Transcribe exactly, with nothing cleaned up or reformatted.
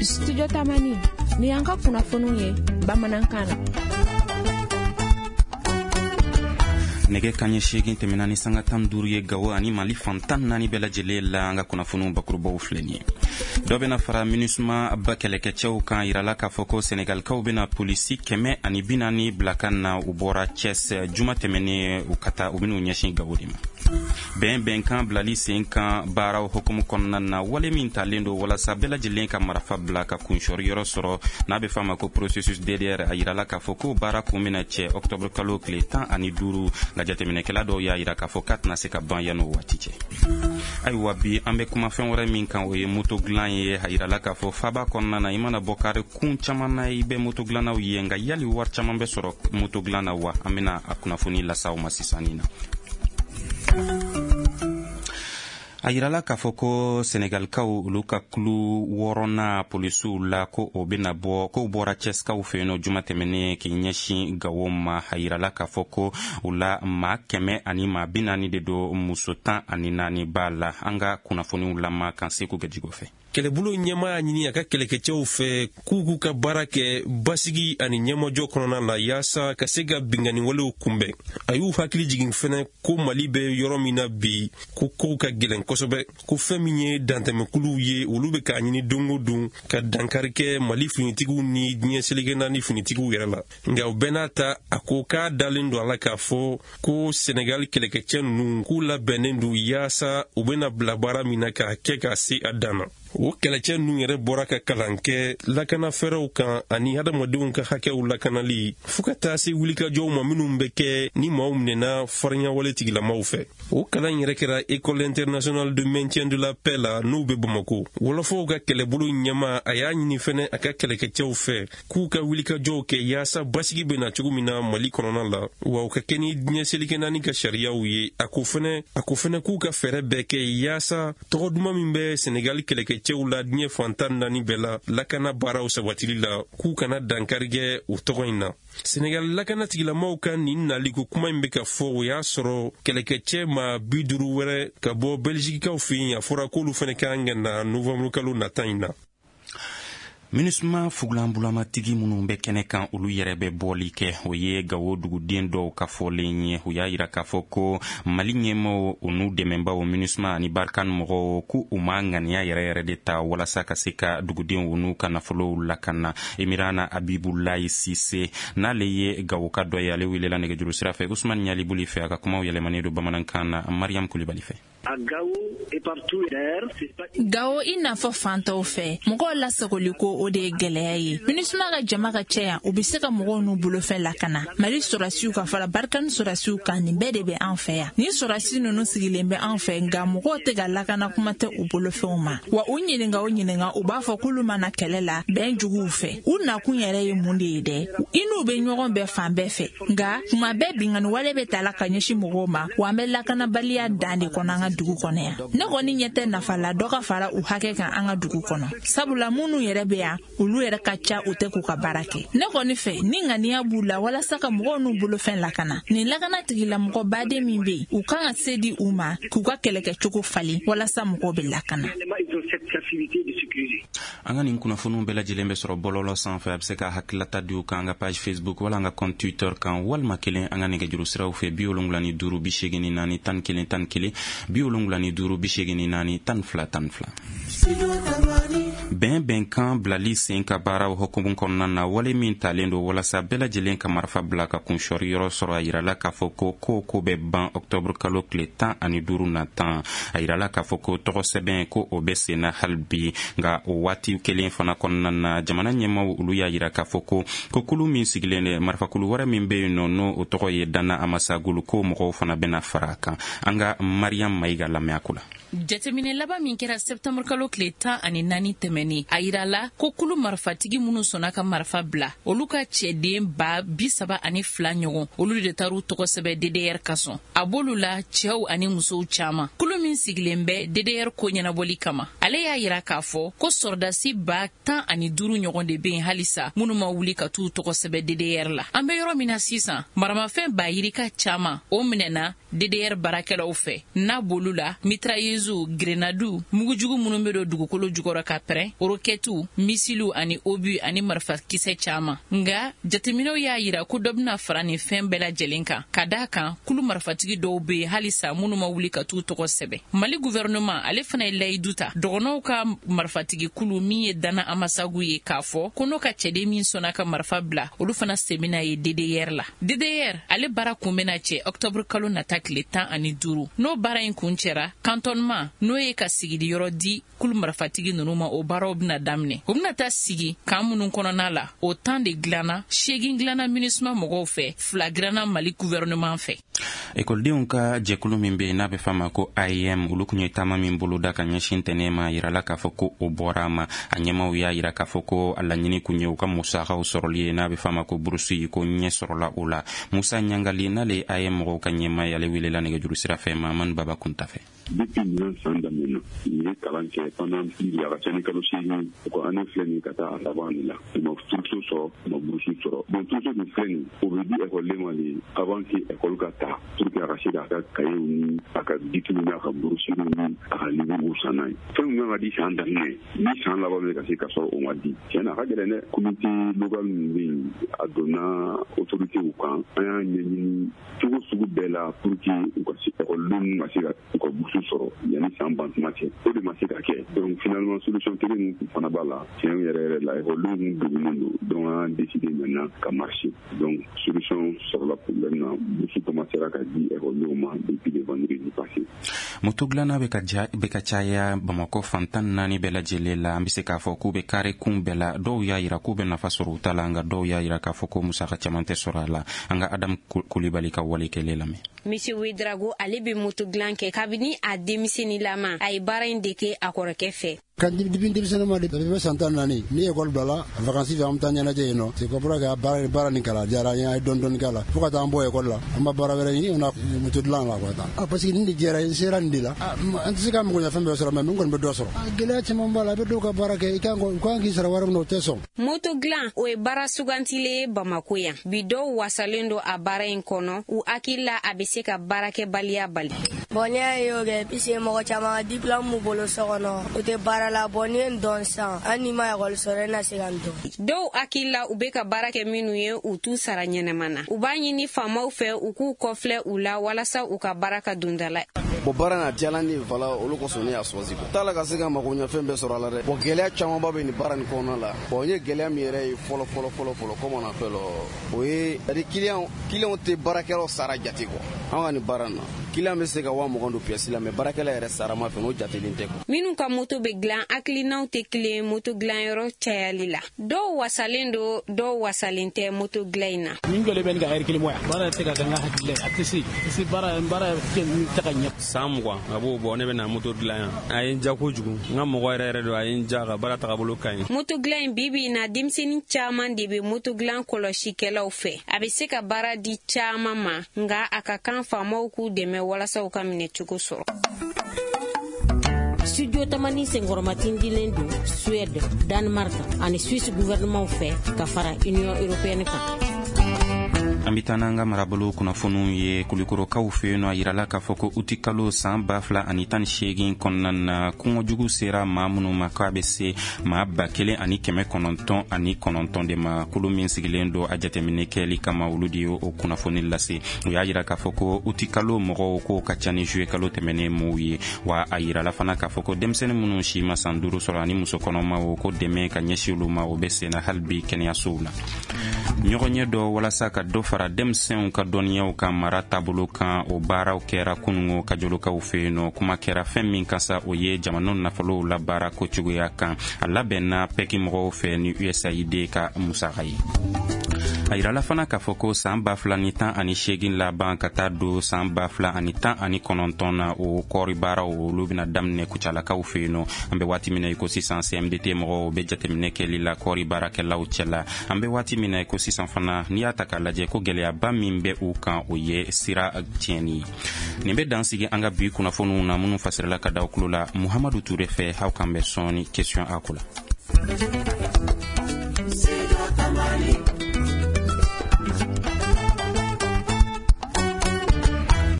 Studio Tamani, ni y'an ka kunnafoniw ye bamanankan na. Nɛgɛ kanɲɛ seegin tɛmɛna ni sanga tan duuru ye Gawo ani Mali fan tan naani bɛɛ lajɛlen la. An ka kunnafoniw bakurubaw filɛ nin ye. Dɔ bɛna fara MINUSMA ba kɛlɛkɛcɛw kan. Yirala k'a fɔ ko Senegalikaw bɛna polisi kɛmɛ ani bi naani bila ka na. U bɔra Thiès juma tɛmɛnen, u ka taa, u bɛn'u ɲɛsin Gawo de ma. Bɛn bɛnkan bilali sen kan baaraw hukumu kɔnɔna na, wale min talen don walasa bɛɛ lajɛlen ka marafa bila ka kunsɔri yɔrɔ sɔrɔ, n'a bɛ f'a ma ko processus D D R, a yirala k'a fɔ ko baara kun bɛna cɛ octobre kalo tile tan ani duuru. Nka jateminɛkɛla dɔw y'a yira k'a fɔ k'a tɛna se ka ban yan'o waati cɛ. Ayiwa, bi an bɛ kuma fɛn wɛrɛ min kan, o ye moto dilan ye. A yirala k'a fɔ faba kɔnɔna na, i mana bɔ kari kun caman na, i bɛ moto dilannaw ye. Nka yali wari caman bɛ sɔrɔ moto dilan na wa? An bɛna a kunnafoni lase aw ma sisan nin na. A yirala k'a fɔ ko Senegalikaw, olu ka kulu wɔɔrɔna polisiw la, ko o bena bɔ, k'o bɔra Cɛsikaw fɛ yen nɔ juma tɛmɛnen k'i ɲɛsin Gawo ma. A yirala k'a fɔ ko u la maa kɛmɛ ani maa bi naani de don, muso tan ani naani b'a la. An ka kunnafoniw lama kan Segu Gajigo fɛ. Kɛlɛbolo ɲɛma y'a ɲini a ka kɛlɛkɛcɛw fɛ k'u k'u ka baara kɛ basigi ani ɲɛmajɔ kɔnɔna la, yaasa ka se ka binganiwalew kunbɛn. A y'u hakili jigin fɛnɛ ko Mali bɛ yɔrɔ min na bi, ko kow ka gɛlɛn kosɛbɛ, ko fɛn min ye dantɛmɛkuluw ye, olu bɛ k'a ɲini don o don ka dankari kɛ Mali finitigiw ni diɲɛ seleke naani finitigiw yɛrɛ la. Nka o bɛɛ n'a ta, a ko k'a dalen don a la k'a fɔ ko Senegali kɛlɛkɛcɛ ninnu k'u labɛnnen don yaasa u bɛna bila baara min na k'a kɛ k'a se a dan na. O kɛlɛcɛ ninnu yɛrɛ bɔra ka kalan kɛ lakana fɛɛrɛw kan ani hadamadenw ka hakɛw lakanali, fɔɔ ka taa se wulikajɔw ma minnu bɛ kɛ ni maaw minɛna farinyawale tigilamaw fɛ. O kalan yɛrɛ kɛra École internationale de maintien de la paix la, n'u bɛ Bamako. Wɔlɔfɔw ka kɛlɛbolo ɲɛma, a y'a ɲini fɛnɛ a ka kɛlɛkɛcɛw fɛ k'u ka wulikajɔw kɛ yaasa basigi bɛ na cogo min na Mali kɔnɔna la, wa u ka kɛ ni diɲɛ seleke naani ka sariyaw ye. A ko fɛnɛ a ko fɛnɛ k'u ka fɛɛrɛ bɛɛ kɛ yaasa tɔgɔ duman min bɛ Senegali kɛlɛkɛcɛw la diɲɛ fan tan naani bɛɛ la lakana baaraw sabatili la, k'u kana dankari kɛ o tɔgɔ in na. Senegal lakana tigilamaw ka nin naliko kuma in bɛ ka fɔ, o y'a sɔrɔ kɛlɛkɛcɛ ma bi duuru wɛrɛ ka bɔ Bɛlizikikaw fɛ yen, a fɔra k'olu fɛnɛ kan ka na novanburu kalo nata in na. MINUSMA fugulanbulamatigi minnu bɛ kɛnɛ kan, olu yɛrɛ bɛ bɔli kɛ. O ye Gawo duguden dɔw ka fɔlen ye. U y'a yira k'a fɔ ko Mali ɲɛmaw, u n'u dɛmɛbaw MINUSMA ani Barkhane mɔgɔw, ko u ma ŋaniya yɛrɛ yɛrɛ de ta walasa ka se ka dugudenw n'u ka nafolow lakana. Emirana Abibulayi Sise, n'ale ye Gawo ka dɔ ye, ale welela nɛgɛjuru sira fɛ Usman Ɲalibuli fɛ. A ka kumaw yɛlɛmanen don bamanankan na Mariam Kulibali fɛ. Gawo, i n'a fɔ fantaw fɛ, mɔgɔw lasagoli ko o de ye gwɛlɛya ye. MINUSMA ka jama ka cɛ yan, u be se ka mɔgɔw n'u bolofɛn lakana. Mali sɔrɔsiw ka fara Barkhane sɔrɔsiw kan, nin bɛɛ de bɛ an fɛ yan. Ni sɔrɔsi nunu sigilen bɛ an fɛ, nka mɔgɔw tɛ ka lakana, kuma tɛ u bolofɛnw ma. Wa u ɲininga o ɲininga, u b'a fɔ k'olu mana kɛlɛ la bɛn juguw fɛ. U nakun yɛrɛ ye mun de ye dɛ? I n'u be ɲɔgɔn bɛɛ fan bɛɛ fɛ, nka kuma bɛɛ bingani wale bɛ tala ka ɲɛsin mɔgɔw ma. Wa an bɛ lakanabaliya dan de kɔnɔ an ka dugu kɔnɔ yan. Ne kɔni ɲɛ tɛ nafa la dɔ ka fara u hakɛ kan an ka dugu kɔnɔ, sabula minnu yɛrɛ bɛ yan, olu yɛrɛ ka ca, u tɛ k'u ka baara kɛ. Ne kɔni fɛ, ni ŋaniya b'u la walasa ka mɔgɔw n'u bolofɛn lakana, nin lakana tigilamɔgɔ baden min be yen, u kan ka se di u ma k'u ka kɛlɛkɛcogo falen walasa mɔgɔw bɛ lakana. An ka nin kunnafoniw bɛɛ lajɛlen bɛ sɔrɔ bɔlɔlɔ sanfɛ. A bɛ se ka hakililata di u kan an ka page Facebook wala an ka compte Twitter kan, walima kelen an ka nɛgɛjuru siraw fɛ: bi wolonwula ni duuru bi seegin ni naani tan ni kelen tan ni kelen, bi wolonwula ni duuru bi seegin ni naani tan ni fila tan ni fila. Bɛn bɛnkan bilali sen ka baaraw hukumu kɔnɔna na, wale min talen don walasa bɛɛ lajɛlen ka marifa bila ka kunsɔri yɔrɔ sɔrɔ, a yirala k'a fɔ ko ko ko bɛ ban ɔktɔburu kalo tile tan ani duuru natan. A yirala k'a fɔ ko tɔgɔ sɛbɛn ko o bɛ sen na hali bi. Nka o waati kelen fana kɔnɔna na, jamana ɲɛmaw, olu y'a yira k'a fɔ ko ko kulu min sigilen dɛ, marifakulu wɛrɛ min bɛ yen nɔ, n'o o tɔgɔ ye Dana Amasagulu, ko mɔgɔw fana bɛna fara a kan. An ka Mariam Mayiga lamɛn a ko la. Jateminɛ laban min kɛra sɛptanburu kalo tile tan ani naani tɛmɛni, a yirala ko kulu marifatigi minnu sɔnna ka marifa bila, olu ka cɛden ba bi saba ani fila ɲɔgɔn, olu de taar'u tɔgɔ sɛbɛ D D R kasɔn. A b'olu la cɛw ani musow caaman. Kulu min sigilen bɛ D D R ko ɲɛnabɔli kama, ale y'a yira k'a fɔ ko sɔrɔdasi ba tan ani duuru ɲɔgɔn de be yen halisa minnu ma wuli ka t'u tɔgɔ sɛbɛ D D R la. An be yɔrɔ min na sisan, maramafɛn ba yirika caaman o minɛna D D R baarakɛlaw fɛ, n'a b'olu la mitrailleusew, grenadiw, mugujugu minnu be don. don dugukolo jukɔrɔ ka pɛrɛn, rokɛtiw, misiliw ani obu ani marifakisɛ caman. Nka jateminɛw y'a yira ko dɔ bɛna fara nin fɛn bɛɛ lajɛlen kan, ka d'a kan kulu marifatigi dɔw bɛ yen halisa minnu ma wuli ka t'u tɔgɔ sɛbɛn. Mali gouvernement ale fana ye layidu ta dɔgɔnɔw ka marifatigi kulu min ye Dana Amasagu ye, k'a fɔ ko n'o ka cɛden min sɔnna ka marifa bila, olu fana sen bɛna ye D D R la. D D R ale baara kun bɛna cɛ octobre kalo nata tile tan ani duuru. N'o baara in kun cɛra, cantonnement n'o ye ka sigili yɔrɔ di kulu marifatigi ninnu ma, o baaraw bɛna daminɛ. O bɛna taa sigi kan minnu kɔnɔna la, o tan de dilanna, seegin dilanna MINUSMA mɔgɔw fɛ, fila dilanna Mali gouvernement fɛ. Ekɔlidenw ka jɛkulu min bɛ yen n'a bɛ f'a ma ko A E M, olu kun ye taama min boloda ka ɲɛsin tɛnɛ ma, yirala k'a fɔ ko o bɔra a ma. A ɲɛmaw y'a yira k'a fɔ ko a laɲini kun ye u ka musakaw sɔrɔli ye, n'a bɛ f'a ma ko burusi, ko ɲɛ sɔrɔla o la. Musa Ɲangali n'ale ye A E M mɔgɔw ka ɲɛmaa ye, ale welela nɛgɛjuru sira fɛ Mahamani Baba Kunta fɛ. Depuis ɲinan san daminɛ u ye kalan kɛ pendant plus de a ka ca ni kalo seegin, u ka année filɛ nin ka taa a laban de la. U ma trousseau sɔrɔ, u ma bourse sɔrɔ. Bon, trousseau dun filɛ nin, o bɛ di ekɔliden ma de avant que école ka ta, pour que a ka se k'a ka cahier ni a ka bikiw n'a ka brossures ni a ka livres san n'a ye. Fɛn min kan ka di san daminɛ ni san laban bɛ ka se ka sɔrɔ o ma di, tiɲɛ na a ka gɛlɛn dɛ. Comité local min bɛ yen, a donna autorités kan, an y'a ɲɛɲini cogo sugu bɛɛ la pour que u ka se ekɔlidenw ka se ka u ka bourse sɔrɔ yanni san ban tuma cɛ, o de ma se ka kɛ. Donc finalement solution kelen min fana b'a la, tiɲɛ yɛrɛ yɛrɛ la ekɔlidenw kun degunnen don, donc an décidé maintenant ka marcher. Donc solution sɔrɔla problème na, bourse commencera ka di ekɔlidenw ma depuis le vendredi passé. Moto dilanna bɛ ka ja bɛ ka caya Bamakɔ fan tan naani bɛɛ lajɛlen la. An bɛ se k'a fɔ k'u bɛ kare kun bɛɛ la. Dɔw y'a yira k'u bɛ nafa sɔrɔ u ta la, nka dɔw y'a yira k'a fɔ ko musaka caman tɛ sɔrɔ a la. An ka Adamu Kulibali ka wale kɛlen lamɛn. Monsieur Ouedraogo ale bɛ moto dilan kɛ kabini a denmisɛnninlama. A ye baara in dege a kɔrɔkɛ fɛ. Kan depuis denmisɛnnin ma depuis bɛ san tan naani ni école bilala vacances fɛ, an bɛ taa ɲɛnajɛ yen nɔ. C'est comprendre que baara baara nin kalan diyara an ye, an ye dɔɔni dɔɔni k'a la fo ka taa an bɔ école la, an ma baara wɛrɛ ɲini, on a moto dilan la quoi. Ah, parce que nin de diyara n sera nin de la, an tɛ se ka mago ɲɛ fɛn bɛɛ sɔrɔ, mais min kɔni bɛ dɔ sɔrɔ. Gɛlɛya caman b'a la, a bɛ dɔw ka baara kɛ, i kan u kan k'i sara wari min na o tɛ sɔn. Moto dilan o ye baara sugantilen ye Bamakɔ yan. Bi dɔw wasalen don a baara in kɔnɔ, u hakili la a bɛ se ka baarakɛbaliya bali. Bon, ne y'a ye o kɛ puisque mɔgɔ caman ka diplôme b'u bolo so kɔnɔ, u tɛ baara la. Bon, ne ye n dɔn sisan, hali n'i ma ekɔli sɔrɔ, e na se ka n dɔn. Dɔw hakili la u bɛ ka baara kɛ minnu ye, u t'u sara ɲɛnama na. U b'a ɲini faamaw fɛ u k'u kɔfilɛ u la walasa u ka baara ka don da la. Bon, baara in a diyala ne ye, voilà, olu kosɔn ne y'a choisi. T'a la ka se ka mago ɲɛ fɛn bɛɛ sɔrɔ a la dɛ. Bon, gɛlɛya camanba bɛ nin baara nin kɔnɔna la. Bon, n ye gɛlɛya min yɛrɛ ye fɔlɔ fɔlɔ fɔlɔ fɔlɔ, comme on appelle, o ye c'est à dire client client tɛ baarakɛlaw sara jate quoi. An ka nin baara in na, client bɛ se ka wa mugan don pièce la, mais baarakɛla yɛrɛ sara ma fɛ, n'o jatelen tɛ quoi. Minnu ka moto bɛ dilan, hakilinaw tɛ kelen moto dilanyɔrɔ cayali la. Dɔw wasalen don, dɔw wasalen tɛ moto dilan in na. Min jɔlen bɛ nin ka ɛri kelen bɔ yan, baara tɛ se ka kɛ n ka hakili la, a tɛ se tɛ se baara baara tɛ ka ɲɛ. San mugan a b'o bɔ, ne bɛ na moto dilan yan. A ye n ja kojugu, n ka mɔgɔ yɛrɛ yɛrɛ don, a ye n ja, ka baara tagabolo ka ɲi. Moto dilan in bi bi in na, denmisɛnnin caman de bɛ moto dilan kɔlɔsikɛlaw fɛ. A bɛ se ka baara di caman ma, nka a ka kan faamaw k'u dɛmɛ walasa u ka minɛcogo sɔrɔ. Studio Tamani senkɔrɔmatindilen don Suède, Danemark ani Suisse gouvernement fɛ ka fara Union européenne kan. An bɛ taa n'an ka marabolo kunnafoniw ye. Kulikɔrɔkaw fɛ yen nɔ, a yirala k'a fɔ ko uti kalo san ba fila ani tan ni seegin kɔnɔna na, kɔngɔjugu sera maa minnu ma k'a bɛ se maa ba kelen ani kɛmɛ kɔnɔntɔn ani kɔnɔntɔn de ma. Kulu min sigilen don a jateminɛ kɛli kama, olu de ye o kunnafoni lase. U y'a yira k'a fɔ ko uti kalo mɔgɔw k'o ka ca ni juillet kalo tɛmɛnen mɔgɔw ye. Wa a yirala fana k'a fɔ ko denmisɛnnin minnu si ma san duuru sɔrɔ ani muso kɔnɔmaw, ko dɛmɛ ka ɲɛsin olu ma, o bɛ senna hali bi kɛnɛyasow la. Ɲɔgɔn ye dɔ walasa ka dɔ fara denmisɛnw ka dɔnniyaw ka mara taabolo kan, o baaraw kɛra kunungo kajolokaw fɛ yen nɔ. Kuma kɛra fɛn min kan sa, o ye jamana nafolow labaara ko cogoya kan. A labɛnna pɛki mɔgɔw fɛ ni U S A I D ka musaka ye. A yirala fana k'a fɔ ko san ba fila ni tan ani seegin laban ka taa don san ba fila ani tan ani kɔnɔntɔn na, o kɔɔri baaraw olu bɛna daminɛ Kucalakaw fɛ yen nɔ. An bɛ waati min na i ko sisan, C M D T mɔgɔw bɛ jateminɛ kɛli la kɔɔri baarakɛlaw cɛla. An bɛ waati min na i ko sisan fana, n'i y'a ta k'a lajɛ ko gɛlɛyaba min bɛ u kan, o ye sira tiɲɛni ye. Nin bɛ dan sigi an ka bi kunnafoniw na minnu fasirila ka da aw tulo la Muhamadu Ture fɛ. Aw kan bɛ sɔɔni question a ko la.